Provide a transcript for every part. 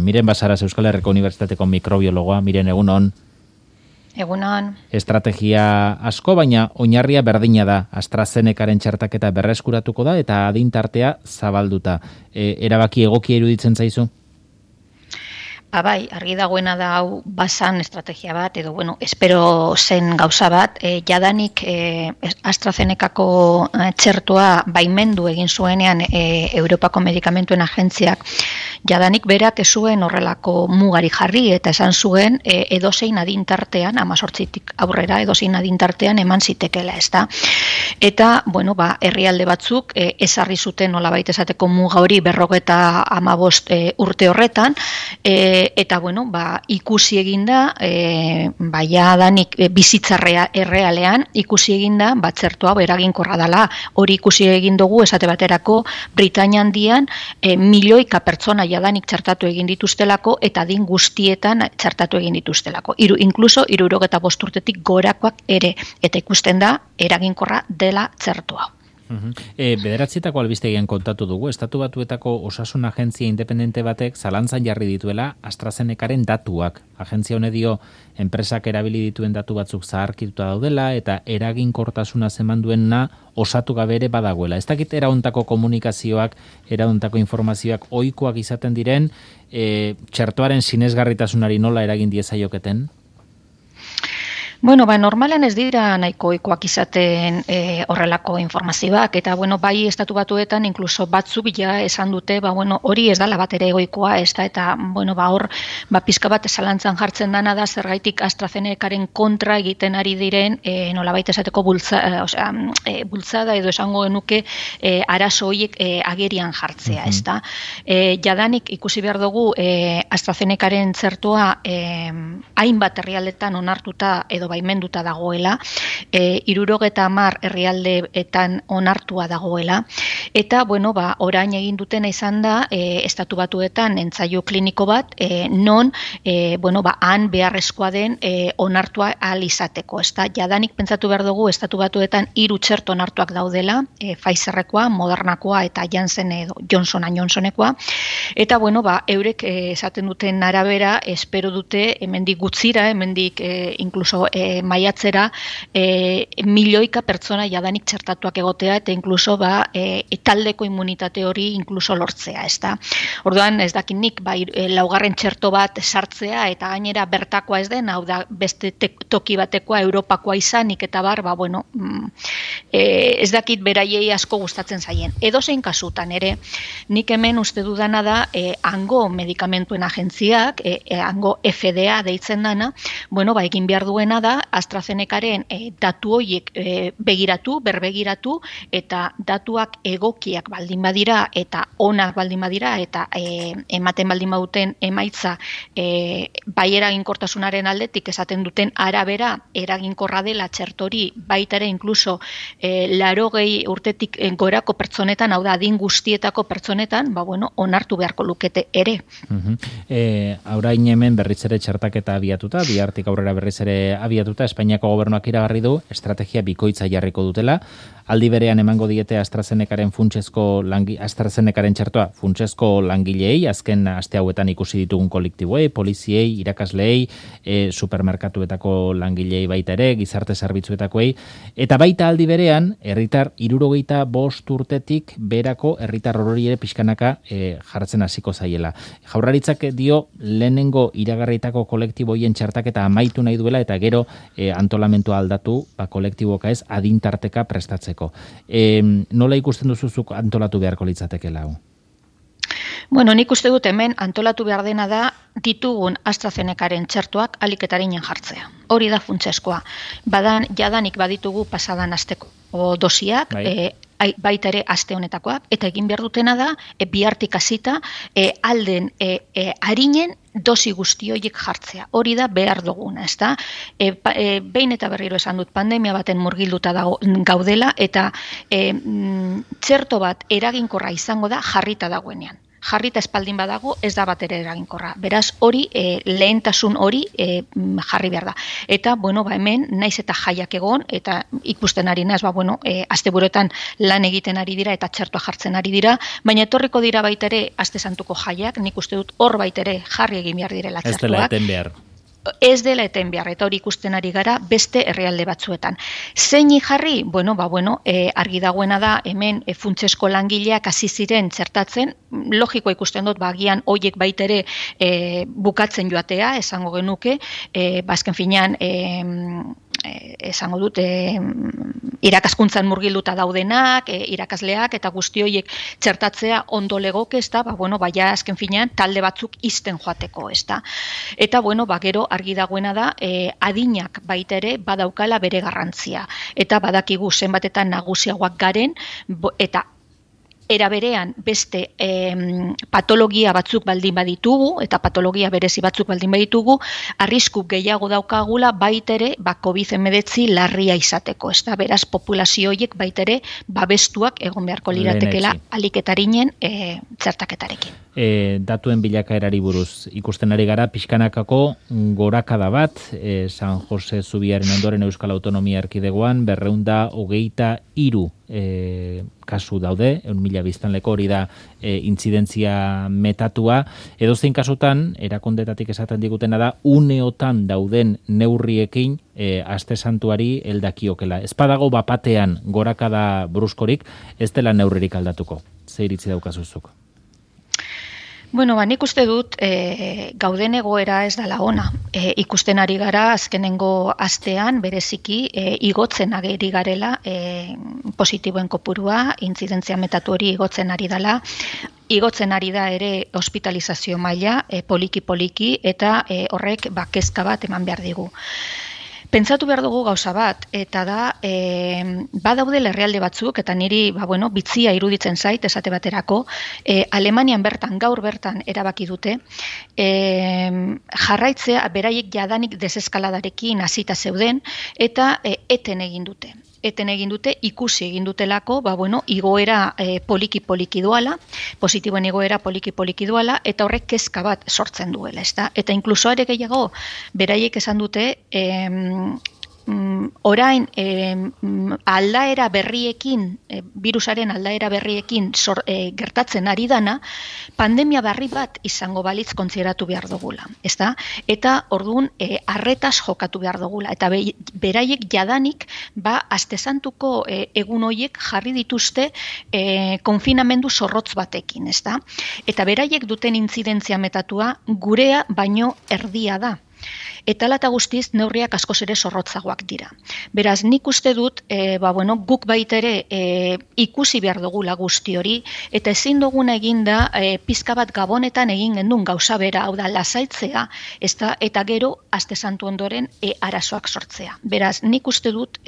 Miren Basaras Euskal Herriko Unibertsitateko mikrobiologoa, Miren, egunon. Egunon. Estrategia asko, baina oinarria berdina da. AstraZenecaren txertaketa berreskuratuko da eta adintartea zabalduta. Erabaki egokia iruditzen zaizu? Bai, argi dagoena da hau basan estrategia bat, edo, espero zen gauza bat, jadanik AstraZenecako txertoa baimendu egin zuenean Europako Medikamentuen Agentziak, jadanik berak ez zuen horrelako mugari jarri, eta esan zuen edozein adintartean, 18tik aurrera edozein adintartean eman zitekela, ezta? Eta, herrialde batzuk ezarri zuten nolabait esateko muga hori 55 urte horretan, eta ikusi eginda, jadanik bizitzarrea errealean, ikusi eginda, txertoa eraginkorra dela. Hori ikusi egin dugu, esate baterako, Britainia Handian, milioika pertsona jadanik txertatu egin dituztelako, eta adin guztietan txertatu egin dituztelako. Inkluso 65 urtetik gorakoak ere, eta ikusten da, eraginkorra dela txertoa. Bederatzietako albistegian kontatu dugu, Estatu Batuetako Osasun Agentzia independente batek zalantzan jarri dituela AstraZenecaren datuak. Agentzia hone dio, enpresak erabili dituen datu batzuk zaharkituta daudela eta eraginkortasuna zeman duena osatu gabe ere badagoela. Ez dakit eraontako komunikazioak, eraontako informazioak ohikoak izaten diren, txertoaren sinesgarritasunari nola eragin diezaioketen? Normalen ez dira nahiko ohikoak izaten horrelako informazioak, eta bai Estatu Batuetan inkluso batzuk ja esan dute, hori ez dela bat ere egoikoa, ez da, eta hor pizka bat zalantzan jartzen dana da zergaitik AstraZenecaren kontra egiten ari diren nolabait esateko bultzada edo esango genuke arazo horiek agerian jartzea, ez da. Jadanik ikusi behar dugu AstraZenecaren txertoa hainbat herrialdetan onartuta edo baimenduta dagoela, 70 herrialdeetan onartua dagoela, eta, orain egin dutena izan da, Estatu Batuetan entzaio kliniko bat, non, han beharrezkoa den onartua ahal izateko, ez da, jadanik pentsatu behar dugu, Estatu Batuetan 3 txerto onartuak daudela, Pfizerrekoa, Modernakoa eta Janssen edo Johnsonekoa, eta, eurek esaten duten arabera, espero dute, hemendik gutzira, hemendik inkluso maiatzera milioika pertsona jadanik txertatuak egotea eta inkluso taldeko immunitate hori inkluso lortzea, ez da. Orduan ez dakit nik laugarren txerto bat sartzea eta gainera bertakoa ez den, hau da beste toki batekoa Europakoa izanik eta ez dakit beraiei asko gustatzen zaien. Edozein kasutan ere, nik hemen uste dudana da hango medikamentuen agentziak, hango FDA deitzen dana, egin behar duena da AstraZenecaren datu horiek berbegiratu eta datuak egokiak baldin badira eta onak baldin badira eta ematen baldin baduten emaitza bai eraginkortasunaren aldetik esaten duten arabera eraginkorra dela txertori baita ere inkluso 80 urtetik gorako pertsonetan, hau da adin guztietako pertsonetan, onartu beharko lukete ere. Aurain hemen berriz ere txertaketa abiatuta, bihartik aurrera berriz ere abiatuta, Espainiako gobernuak iragarri du estrategia bikoitza jarriko dutela. Aldi berean emango diete AstraZenecaren AstraZenecaren txertoa funtsezko langileei, azken aste hauetan ikusi ditugun kolektiboei, poliziei, irakasleei, supermerkatuetako langileei baita ere, gizarte zerbitzuetakoei, eta baita aldi berean, herritar 65 urtetik berako herritar hori ere pixkanaka jartzen hasiko zaiela. Jaurlaritzak dio lehenengo iragarritako kolektiboien txertaketa amaitu nahi duela eta gero antolamentua aldatu, kolektiboka ez, adintarteka prestatzeko. Nola ikusten duzuzuk antolatu beharko litzatekeela hau? Nik uste dut hemen antolatu behar dena da ditugun AstraZenecaren txertoak aliketarinan jartzea. Hori da funtsezkoa. Jadanik baditugu pasadan asteko dosiak, baita ere aste honetakoak, eta egin behar dutena da, bihartik hasita, alden arinen dosi guzti horiek jartzea. Hori da behar duguna, ez da? Behin eta berriro esan dut, pandemia baten murgilduta gaudela, eta txerto bat eraginkorra izango da jarrita dagoenean. jarrita espaldin badago ez da batere eraginkorra. Beraz, hori lehentasun hori jarri behar da. Eta, hemen, naiz eta jaiak egon, eta ikusten ari naz, asteburuetan lan egiten ari dira eta txertoa jartzen ari dira, baina etorriko dira baitere aste santuko jaiak, nik uste dut hor baitere jarri egin behar direla txertoak. Ez dela eten behar. Ez dela eten behar, eta hori ikusten ari gara beste herrialde batzuetan. Zeini jarri? Argi dagoena da, hemen funtsesko langileak hasi ziren txertatzen, logiko ikusten dut, agian hoiek baitere bukatzen joatea, esango genuke, azken finean, esango dut, irakaskuntzan murgilduta daudenak, irakasleak, eta guzti horiek txertatzea ondo legoke, ez da, baina azken finean talde batzuk izten joateko, ez da. Eta, gero argi dagoena da, adinak baitere badaukala bere garrantzia. Eta badakigu zenbatetan nagusiagoak garen, eta era berean beste patologia batzuk baldin baditugu, eta patologia berezi batzuk baldin baditugu, arrisku gehiago daukagula baitere COVID-19 larria izateko. Ez da, beraz, populazio horiek baitere babestuak egon beharko liratekela aliketarinen txertaketarekin. Datuen bilakaerari buruz ikusten ari gara, pixkanakako gorakada bat, San Jose Zubiaren ondoren Euskal Autonomia Erkidegoan, 223 kasu daude, 1.000 biztanleko hori da intzidentzia metatua. Edozein kasutan, erakundetatik esaten digutena da, uneotan dauden neurriekin aste santuari heldakiokela. Ez badago bapatean gorakada bruskorik, ez dela neurririk aldatuko. Ze iritzi daukazuzuk? Nik uste dut gauden egoera ez dela ona. Ikusten ari gara azkenengo astean bereziki igotzen ageri garela positiboen kopurua, intzidentzia metatu hori igotzen ari dela. Igotzen ari da ere hospitalizazio maila poliki-poliki eta horrek kezka bat eman behar digu. Pentsatu behar dugu gauza bat, eta da, badaude herrialde batzuk, eta niri, bitzia iruditzen zait, esate baterako, Alemanian bertan, gaur bertan erabaki dute, jarraitzea, beraiek jadanik deseskaladarekin hasita zeuden, eta eten egin dute. Ikusi egin dutelako, igoera poliki-poliki duala, positiboen igoera poliki-poliki duala, eta horrek kezka bat sortzen duela, ez da? Eta inkluso ere gehiago, beraiek esan dute, orain aldaera berriekin, virusaren aldaera berriekin gertatzen ari dana, pandemia berri bat izango balitz kontsideratu behar dugula, ezta? Eta orduan arretaz jokatu behar dugula, eta beraiek jadanik aste santuko egun horiek jarri dituzte konfinamendu zorrotz batekin, ezta? Eta beraiek duten intzidentzia metatua gurea baino erdia da. Eta hala eta guztiz neurriak askoz ere zorrotzagoak dira. Beraz, nik uste dut, guk baitere ikusi behar dugula guzti hori, eta ezin duguna eginda pizka bat gabonetan egin gendun gauza bera, hau da, lasaitzea, eta gero, aste santu ondoren, arazoak sortzea. Beraz, nik uste dut,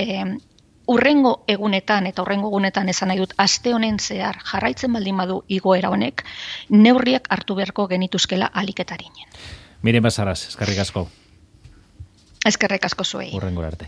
urrengo egunetan, eta urrengo egunetan esan nahi dut, aste honen zehar jarraitzen baldin badu igoera honek, neurriak hartu beharko genituzkela aliketarinen. Miren Basaras, eskerrik asko. Eskerrik asko zuei. Hurrengora arte.